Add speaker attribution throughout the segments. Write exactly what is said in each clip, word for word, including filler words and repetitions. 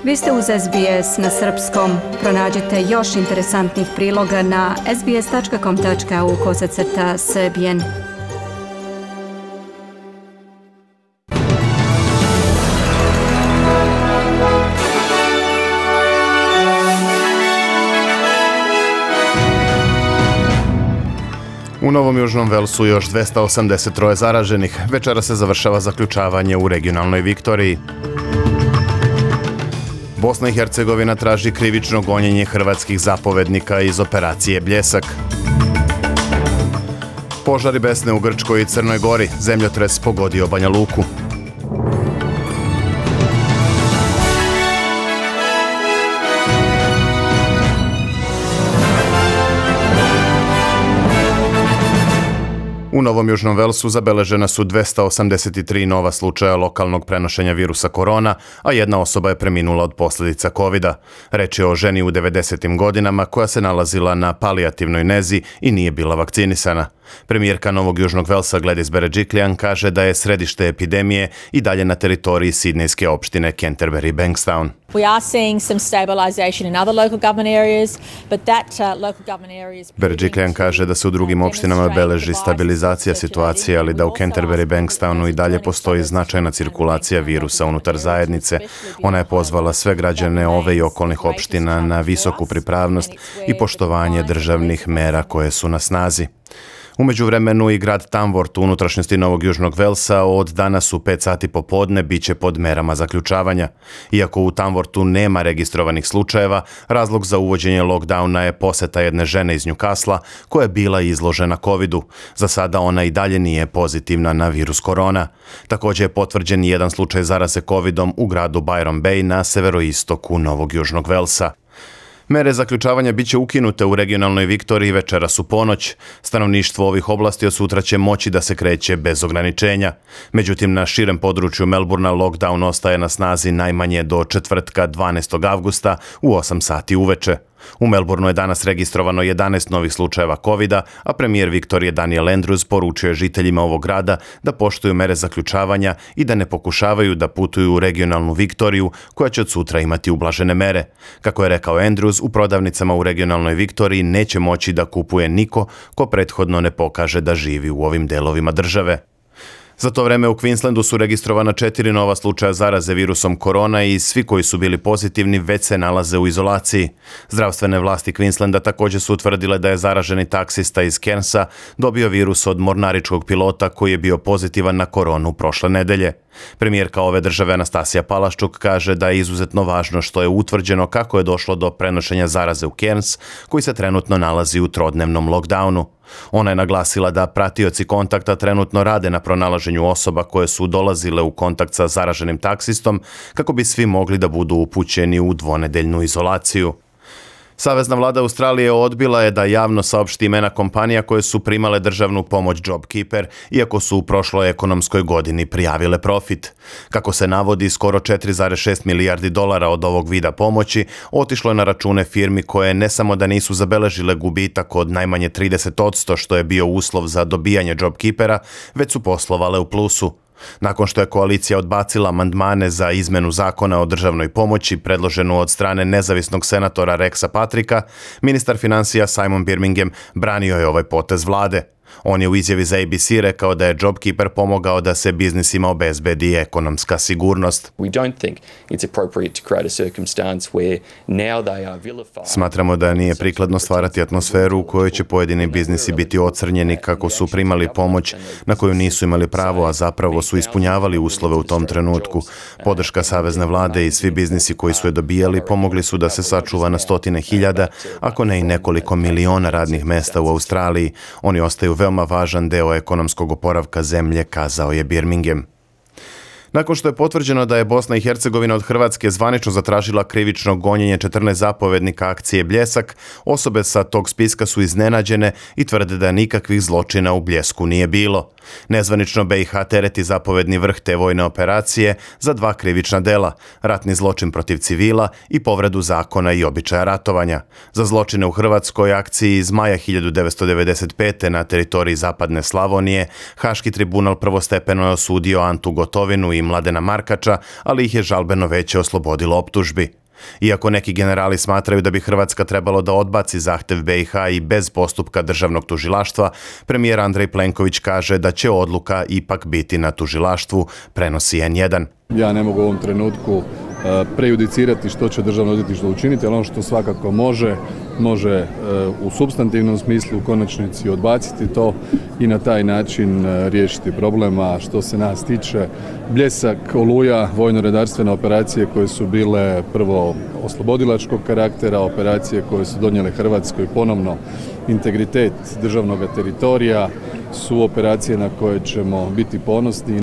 Speaker 1: Vi ste uz S B S na srpskom. Pronađite još interesantnih priloga na sbs.com tačka au kosacrta srbijen.
Speaker 2: U Novom Južnom Velsu još dvesta osamdeset troje zaraženih. Večera se završava zaključavanje u regionalnoj Viktoriji. Bosna i Hercegovina traži krivično gonjenje hrvatskih zapovednika iz operacije Bljesak. Požari besne u Grčkoj i Crnoj Gori. Zemljotres pogodio Banja Luku. U Novom Južnom Velsu zabeležena su dvesta osamdeset tri nova slučaja lokalnog prenošenja virusa korona, a jedna osoba je preminula od posljedica kovida. Reč je o ženi u devedesetim godinama koja se nalazila na palijativnoj nezi i nije bila vakcinisana. Premijerka Novog Južnog Velsa Gladys Berejiklian kaže da je središte epidemije i dalje na teritoriji sidnejske opštine Canterbury-Bankstown.
Speaker 3: We are seeing some stabilization in other local government areas, but that uh, local government areas...
Speaker 2: Berejiklian kaže da se u drugim opštinama beleži stabilizacija situacije, ali da u Canterbury-Bankstownu i dalje postoji značajna cirkulacija virusa unutar zajednice. Ona je pozvala sve građane ove i okolnih opština na visoku pripravnost i poštovanje državnih mera koje su na snazi. U međuvremenu i grad Tamworth u unutrašnjosti Novog Južnog Velsa od danas u pet sati popodne bit će pod merama zaključavanja. Iako u Tamworthu nema registrovanih slučajeva, razlog za uvođenje lockdowna je poseta jedne žene iz Newcastle koja je bila izložena covidu. Za sada ona i dalje nije pozitivna na virus korona. Također je potvrđen jedan slučaj zaraze covidom u gradu Byron Bay na severoistoku Novog Južnog Velsa. Mere zaključavanja biće ukinute u regionalnoj Viktoriji večeras u ponoć. Stanovništvo ovih oblasti od sutra će moći da se kreće bez ograničenja. Međutim, na širem području Melburna lockdown ostaje na snazi najmanje do četvrtka dvanaestog avgusta u osam sati uveče. U Melbourneu je danas registrovano jedanaest novih slučajeva kovida, a premijer Viktorije Daniel Andrews poručio je žiteljima ovog grada da poštuju mere zaključavanja i da ne pokušavaju da putuju u regionalnu Viktoriju koja će od sutra imati ublažene mere. Kako je rekao Andrews, u prodavnicama u regionalnoj Viktoriji neće moći da kupuje niko ko prethodno ne pokaže da živi u ovim delovima države. Za to vreme u Queenslandu su registrovana četiri nova slučaja zaraze virusom korona i svi koji su bili pozitivni već se nalaze u izolaciji. Zdravstvene vlasti Queenslanda također su utvrdile da je zaraženi taksista iz Cairnsa dobio virus od mornaričkog pilota koji je bio pozitivan na koronu prošle nedelje. Premijerka ove države Anastasija Palaščuk kaže da je izuzetno važno što je utvrđeno kako je došlo do prenošenja zaraze u Cairns, koji se trenutno nalazi u trodnevnom lockdownu. Ona je naglasila da pratioci kontakta trenutno rade na pronalaženju osoba koje su dolazile u kontakt sa zaraženim taksistom kako bi svi mogli da budu upućeni u dvonedeljnu izolaciju. Savezna vlada Australije odbila je da javno saopšti imena kompanija koje su primale državnu pomoć JobKeeper, iako su u prošloj ekonomskoj godini prijavile profit. Kako se navodi, skoro četiri zarez šest milijardi dolara od ovog vida pomoći otišlo je na račune firmi koje ne samo da nisu zabeležile gubitak od najmanje trideset posto što je bio uslov za dobijanje JobKeepera, već su poslovale u plusu. Nakon što je koalicija odbacila amandmane za izmenu zakona o državnoj pomoći predloženu od strane nezavisnog senatora Rexa Patricka, ministar financija Simon Birmingham branio je ovaj potez vlade. On je u izjavi za A B C rekao da je JobKeeper pomogao da se biznisima obezbedi ekonomska sigurnost. Smatramo da nije prikladno stvarati atmosferu u kojoj će pojedini biznisi biti ocrnjeni kako su primali pomoć na koju nisu imali pravo, a zapravo su ispunjavali uslove u tom trenutku. Podrška savezne vlade i svi biznisi koji su je dobijali pomogli su da se sačuva na stotine hiljada, ako ne i nekoliko miliona radnih mesta u Australiji. Oni ostaju veoma važan deo ekonomskog oporavka zemlje, kazao je Birmingham. Nakon što je potvrđeno da je Bosna i Hercegovina od Hrvatske zvanično zatražila krivično gonjenje četrnaest zapovednika akcije Bljesak, osobe sa tog spiska su iznenađene i tvrde da nikakvih zločina u Bljesku nije bilo. Nezvanično B i H tereti zapovedni vrh te vojne operacije za dva krivična dela, ratni zločin protiv civila i povredu zakona i običaja ratovanja. Za zločine u Hrvatskoj akciji iz maja hiljadu devetsto devedeset pete. na teritoriji Zapadne Slavonije, Haški tribunal prvostepeno je osudio Antu Gotovinu i i Mladena Markača, ali ih je žalbeno veće oslobodilo optužbi. Iako neki generali smatraju da bi Hrvatska trebalo da odbaci zahtev be i ha i bez postupka državnog tužilaštva, premijer Andrej Plenković kaže da će odluka ipak biti na tužilaštvu, prenosi en jedan.
Speaker 4: Ja ne mogu u ovom trenutku prejudicirati što će državno odvjetništvo učiniti, ali ono što svakako može, može u supstantivnom smislu u konačnici odbaciti to i na taj način riješiti problem. A što se nas tiče, Bljesak, Oluja, vojno-redarstvene operacije koje su bile prvo oslobodilačkog karaktera, operacije koje su donijele Hrvatskoj ponovno integritet državnog teritorija, su operacije na koje ćemo biti ponosni.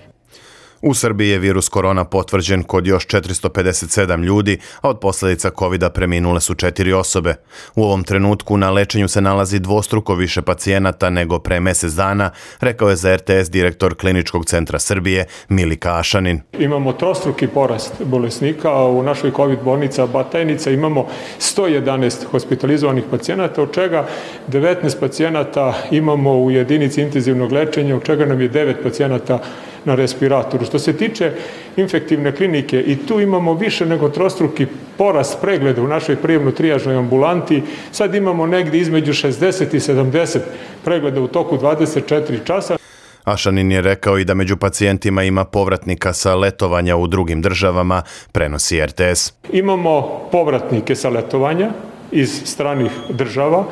Speaker 2: U Srbiji je virus korona potvrđen kod još četiristo pedeset sedam ljudi, a od posljedica kovida preminule su četiri osobe. U ovom trenutku na lečenju se nalazi dvostruko više pacijenata nego pre mjesec dana, rekao je za er te es direktor Kliničkog centra Srbije Milika Ašanin.
Speaker 5: Imamo trostruki porast bolesnika, a u našoj covid bolnica Batajnica imamo sto jedanaest hospitalizovanih pacijenata, od čega devetnaest pacijenata imamo u jedinici intenzivnog lečenja, od čega nam je devet pacijenata na respiratoru. Što se tiče infektivne klinike, i tu imamo više nego trostruki porast pregleda u našoj prijemno-trijažnoj ambulanti. Sad imamo negdje između šezdeset i sedamdeset pregleda u toku dvadeset četiri časa.
Speaker 2: Ašanin je rekao i da među pacijentima ima povratnika sa letovanja u drugim državama, prenosi er te es.
Speaker 5: Imamo povratnike sa letovanja iz stranih država.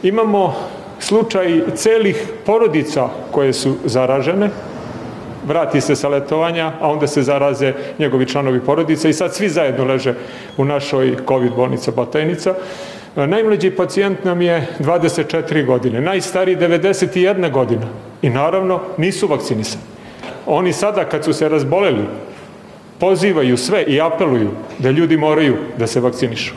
Speaker 5: Imamo slučaj celih porodica koje su zaražene, vrati se sa letovanja, a onda se zaraze njegovi članovi porodice i sad svi zajedno leže u našoj covid bolnica Batajnica. Najmlađi pacijent nam je dvadeset četiri godine, najstariji devedeset jedna godina i naravno nisu vakcinisani. Oni sada kad su se razboleli pozivaju sve i apeluju da ljudi moraju da se vakcinišu.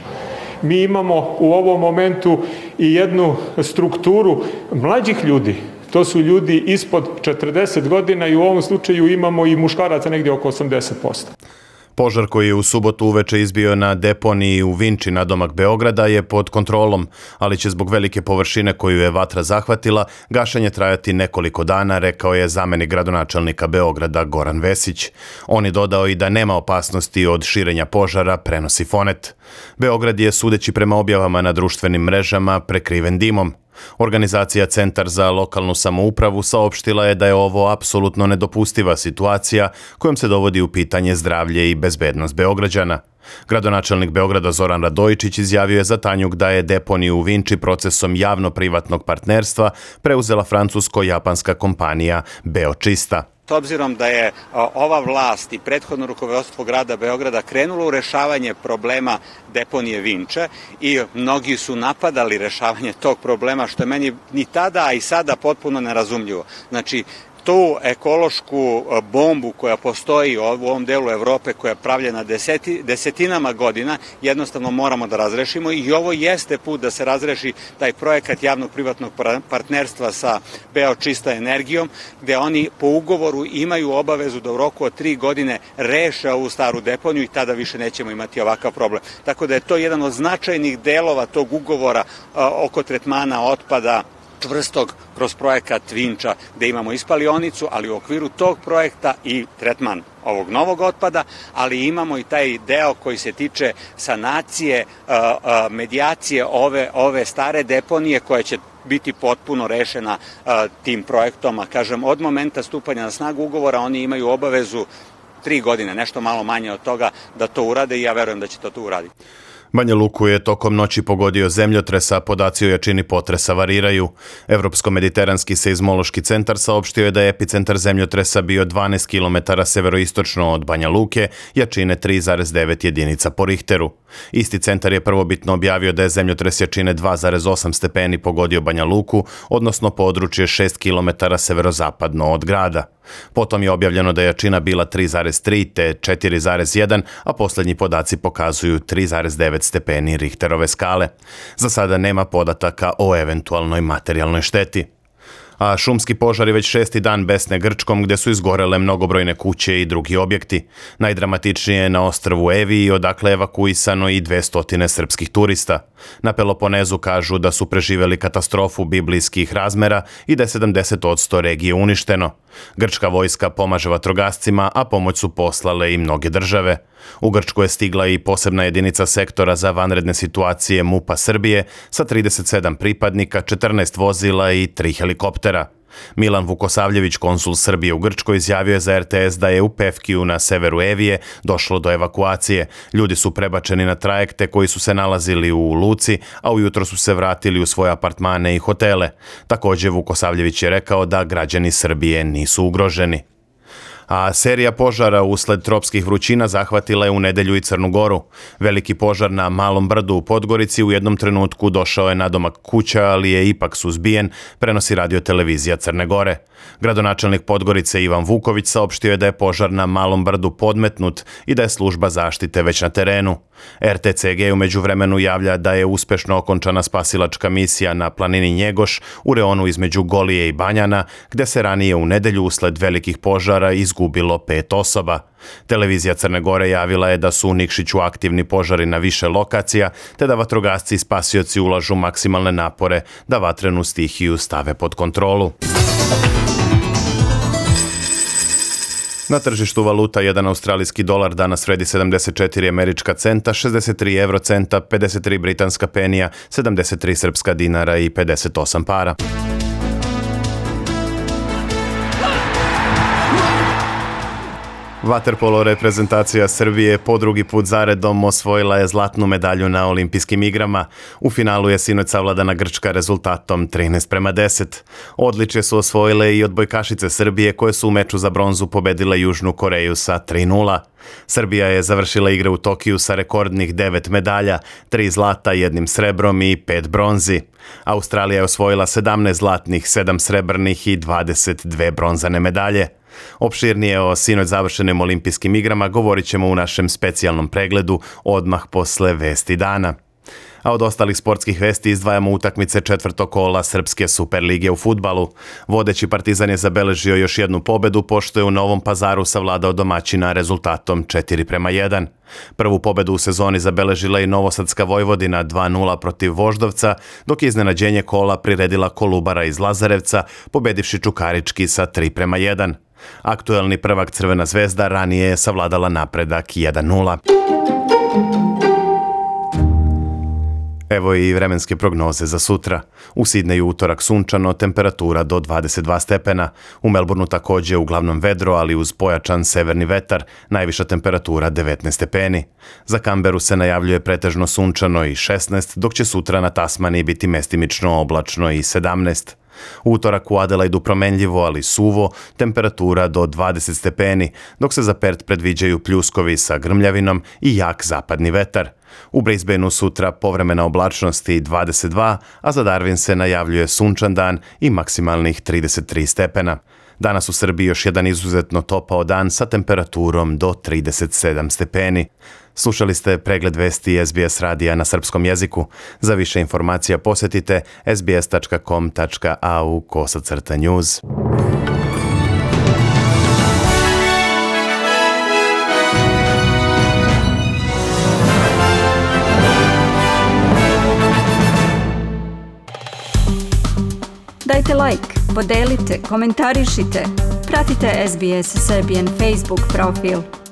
Speaker 5: Mi imamo u ovom momentu i jednu strukturu mlađih ljudi. To su ljudi ispod četrdeset godina i u ovom slučaju imamo i muškaraca negdje oko osamdeset posto.
Speaker 2: Požar koji je u subotu uveče izbio na deponiji u Vinči nadomak Beograda je pod kontrolom, ali će zbog velike površine koju je vatra zahvatila gašenje trajati nekoliko dana, rekao je zamenik gradonačelnika Beograda Goran Vesić. On je dodao i da nema opasnosti od širenja požara, prenosi Fonet. Beograd je, sudeći prema objavama na društvenim mrežama, prekriven dimom. Organizacija Centar za lokalnu samoupravu saopštila je da je ovo apsolutno nedopustiva situacija kojom se dovodi u pitanje zdravlje i bezbednost Beograđana. Gradonačelnik Beograda Zoran Radojičić izjavio je za Tanjug da je deponiju u Vinči procesom javno-privatnog partnerstva preuzela francusko-japanska kompanija Beočista.
Speaker 6: S obzirom da je ova vlast i prethodno rukovodstvo grada Beograda krenulo u rešavanje problema deponije Vinče i mnogi su napadali rešavanje tog problema, što je meni ni tada, a i sada potpuno nerazumljivo. Znači, tu ekološku bombu koja postoji u ovom delu Evrope, koja je pravljena deseti, desetinama godina, jednostavno moramo da razrešimo i ovo jeste put da se razreši taj projekat javno-privatnog partnerstva sa Beočista energijom, gde oni po ugovoru imaju obavezu da u roku od tri godine reše ovu staru deponiju i tada više nećemo imati ovakav problem. Tako da je to jedan od značajnih delova tog ugovora oko tretmana otpada čvrstog kroz projekat Vinča, gde imamo i spalionicu, ali u okviru tog projekta i tretman ovog novog otpada, ali imamo i taj deo koji se tiče sanacije, medijacije ove, ove stare deponije koja će biti potpuno rešena tim projektom, a kažem, od momenta stupanja na snagu ugovora oni imaju obavezu tri godine, nešto malo manje od toga, da to urade i ja verujem da će to to uraditi.
Speaker 2: Banja Luku je tokom noći pogodio zemljotres, a podaci o jačini potresa variraju. Evropsko-mediteranski seizmološki centar saopštio je da je epicentar zemljotresa bio dvanaest kilometara severoistočno od Banja Luke, jačine tri zarez devet jedinica po Richteru. Isti centar je prvobitno objavio da je zemljotres jačine dva zarez osam stepeni pogodio Banja Luku, odnosno područje šest kilometara severozapadno od grada. Potom je objavljeno da je jačina bila tri zarez tri te četiri zarez jedan, a posljednji podaci pokazuju tri zarez devet stepeni Richterove skale. Za sada nema podataka o eventualnoj materijalnoj šteti. A šumski požari već šesti dan besne Grčkom gdje su izgorele mnogobrojne kuće i drugi objekti. Najdramatičnije je na ostrvu Eviji, odakle je evakuisano i dvesta srpskih turista. Na Peloponezu kažu da su preživjeli katastrofu biblijskih razmera i da je sedamdeset posto regije uništeno. Grčka vojska pomaže vatrogascima, a pomoć su poslale i mnoge države. U Grčku je stigla i posebna jedinica sektora za vanredne situacije MUP-a Srbije sa trideset sedam pripadnika, četrnaest vozila i tri helikoptera. Milan Vukosavljević, konsul Srbije u Grčkoj, izjavio je za er te es da je u Pevkiju na severu Evije došlo do evakuacije. Ljudi su prebačeni na trajekte koji su se nalazili u luci, a ujutro su se vratili u svoje apartmane i hotele. Također Vukosavljević je rekao da građani Srbije nisu ugroženi. A serija požara usled tropskih vrućina zahvatila je u nedjelju i Crnu Goru. Veliki požar na Malom brdu u Podgorici u jednom trenutku došao je nadomak kuća, ali je ipak suzbijen, prenosi radiotelevizija Crne Gore. Gradonačelnik Podgorice Ivan Vuković saopštio je da je požar na Malom brdu podmetnut i da je služba zaštite već na terenu. er te ce ge u međuvremenu javlja da je uspešno okončana spasilačka misija na planini Njegoš u reonu između Golije i Banjana, gdje se ranije u nedjelju usled velikih požara izgubilo pet osoba. Televizija Crne Gore javila je da su u Nikšiću aktivni požari na više lokacija, te da vatrogasci i spasioci ulažu maksimalne napore da vatrenu stihiju stave pod kontrolu. Na tržištu valuta jedan australijski dolar danas vredi sedamdeset četiri američka centa, šezdeset tri evrocenta, pedeset tri britanska penija, sedamdeset tri srpska dinara i pedeset osam para. Vaterpolo reprezentacija Srbije po drugi put zaredom osvojila je zlatnu medalju na olimpijskim igrama. U finalu je sinoć savladana Grčka rezultatom trinaest prema deset. Odličje su osvojile i odbojkašice Srbije koje su u meču za bronzu pobedile Južnu Koreju sa tri nula. Srbija je završila igre u Tokiju sa rekordnih devet medalja, tri zlata, jednim srebrom i pet bronzi. Australija je osvojila sedamnaest zlatnih, sedam srebrnih i dvadeset dve bronzane medalje. Opširnije o sinoć završenim olimpijskim igrama govorit ćemo u našem specijalnom pregledu odmah posle vesti dana. A od ostalih sportskih vesti izdvajamo utakmice četvrtog kola Srpske Superlige u fudbalu. Vodeći Partizan je zabeležio još jednu pobedu, pošto je u Novom Pazaru savladao domaćina rezultatom četiri prema jedan. Prvu pobedu u sezoni zabeležila i Novosadska Vojvodina dva nula protiv Voždovca, dok je iznenađenje kola priredila Kolubara iz Lazarevca, pobedivši Čukarički sa tri prema jedan. Aktuelni prvak Crvena zvezda ranije je savladala napredak jedan nula. Evo i vremenske prognoze za sutra. U Sidneju utorak sunčano, temperatura do dvadeset dva stepena. U Melbourneu također uglavnom vedro, ali uz pojačan severni vetar, najviša temperatura devetnaest stepeni. Za Kamberu se najavljuje pretežno sunčano i šesnaest, dok će sutra na Tasmaniji biti mestimično oblačno i sedamnaest. U utorak u Adelaidu promenljivo, ali suvo, temperatura do dvadeset stepeni, dok se za Pert predviđaju pljuskovi sa grmljavinom i jak zapadni vetar. U Brisbaneu sutra povremena oblačnost i dvadeset dva, a za Darwin se najavljuje sunčan dan i maksimalnih trideset tri stepena. Danas u Srbiji još jedan izuzetno topao dan sa temperaturom do trideset sedam stepeni. Slušali ste pregled vesti es be es radija na srpskom jeziku. Za više informacija posjetite es be es tačka com tačka a u kosacrta news.
Speaker 1: Dajte like, podelite, komentarišite. Pratite es be es Serbian Facebook profil.